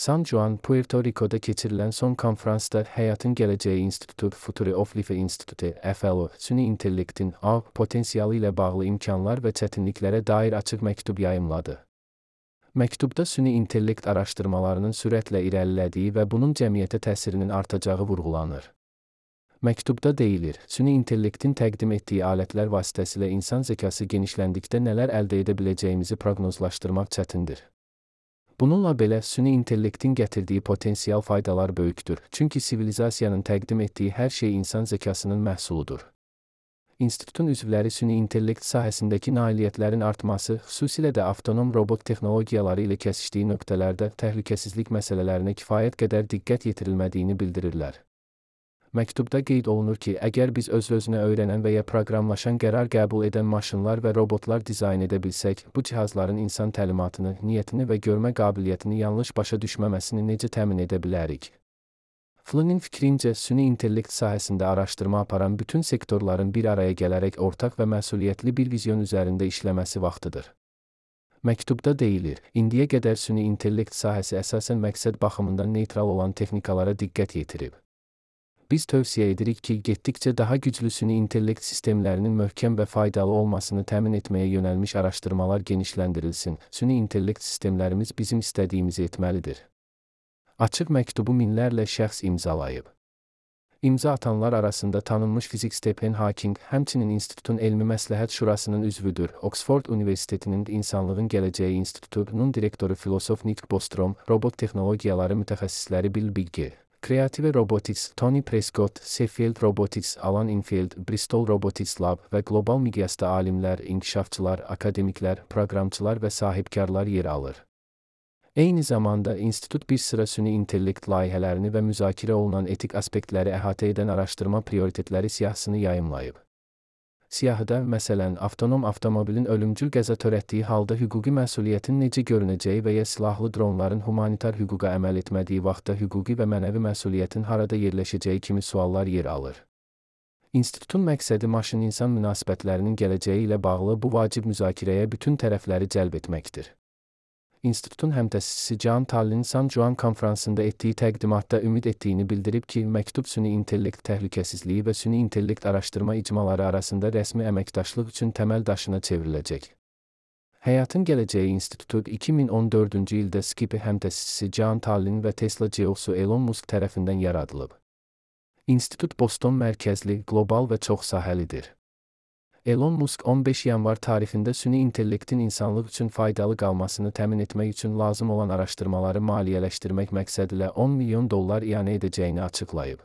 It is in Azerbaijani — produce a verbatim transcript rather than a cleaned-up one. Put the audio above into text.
San Juan, Puerto Rico'da keçirilən son konfransda Həyatın Gələcəyi İnstitutu, Future of Life İnstitutu, F L O, süni intellektin A potensialı ilə bağlı imkanlar və çətinliklərə dair açıq məktub yayımladı. Məktubda süni intellekt araşdırmalarının sürətlə irəlilədiyi və bunun cəmiyyətə təsirinin artacağı vurğulanır. Məktubda deyilir, süni intellektin təqdim etdiyi alətlər vasitəsilə insan zəkası genişləndikdə nələr əldə edə biləcəyimizi proqnozlaşdırmaq çətindir. Bununla belə, süni intellektin gətirdiyi potensial faydalar böyükdür, çünki sivilizasiyanın təqdim etdiyi hər şey insan zəkasının məhsuludur. İnstitutun üzvləri süni intellekt sahəsindəki nailiyyətlərin artması, xüsusilə də avtonom robot texnologiyaları ilə kəsişdiyi nöqtələrdə təhlükəsizlik məsələlərinə kifayət qədər diqqət yetirilmədiyini bildirirlər. Məktubda qeyd olunur ki, əgər biz öz-özünə öyrənən və ya proqramlaşan qərar qəbul edən maşınlar və robotlar dizayn edə bilsək, bu cihazların insan təlimatını, niyyətini və görmə qabiliyyətini yanlış başa düşməməsini necə təmin edə bilərik? Flynn'in fikrincə, süni intellekt sahəsində araşdırma aparan bütün sektorların bir araya gələrək ortaq və məsuliyyətli bir vizyon üzərində işləməsi vaxtıdır. Məktubda deyilir, indiyə qədər süni intellekt sahəsi əsasən məqsəd baxımından neytral olan texnikalara diqqət yetirib. Biz tövsiyə edirik ki, getdikcə daha güclü süni intellekt sistemlərinin möhkəm və faydalı olmasını təmin etməyə yönəlmiş araşdırmalar genişləndirilsin. Süni intellekt sistemlərimiz bizim istədiyimizi etməlidir. Açıq məktubu minlərlə şəxs imzalayıb. İmza atanlar arasında tanınmış fizik Stephen Hawking, həmçinin institutun elmi məsləhət şurasının üzvüdür. Oxford Universitetinin İnsanlığın Gələcəyi İnstitutunun direktoru filosof Nick Bostrom, robot texnologiyaları mütəxəssisləri Bill Bigge, Creative Robotics, Tony Prescott, Sheffield Robotics, Alan Infield, Bristol Robotics Lab və qlobal miqyasda alimlər, inkişafçılar, akademiklər, proqramçılar və sahibkarlar yer alır. Eyni zamanda, institut bir sıra süni intellekt layihələrini və müzakirə olunan etik aspektləri əhatə edən araşdırma prioritetləri siyahısını yayımlayıb. Siyahıda, məsələn, avtonom avtomobilin ölümcül qəza törətdiyi halda hüquqi məsuliyyətin necə görünəcəyi və ya silahlı dronların humanitar hüquqa əməl etmədiyi vaxtda hüquqi və mənəvi məsuliyyətin harada yerləşəcəyi kimi suallar yer alır. İnstitutun məqsədi maşın-insan münasibətlərinin gələcəyi ilə bağlı bu vacib müzakirəyə bütün tərəfləri cəlb etməkdir. İnstitutun həmtəsisi John Tallinn San Juan konfransında etdiyi təqdimatda ümid etdiyini bildirib ki, məktub süni intellekt təhlükəsizliyi və süni intellekt araşdırma icmaları arasında rəsmi əməkdaşlıq üçün təməl daşına çevriləcək. Həyatın Gələcəyi İnstitutu iki min on dördüncü ildə Skipi həmtəsisi John Tallinn və Tesla C E O-su Elon Musk tərəfindən yaradılıb. İnstitut Boston mərkəzli, qlobal və çoxsahəlidir. Elon Musk on beş yanvar tarixində süni intellektin insanlıq üçün faydalı qalmasını təmin etmək üçün lazım olan araşdırmaları maliyyələşdirmək məqsədilə on milyon dollar ianə edəcəyini açıqlayıb.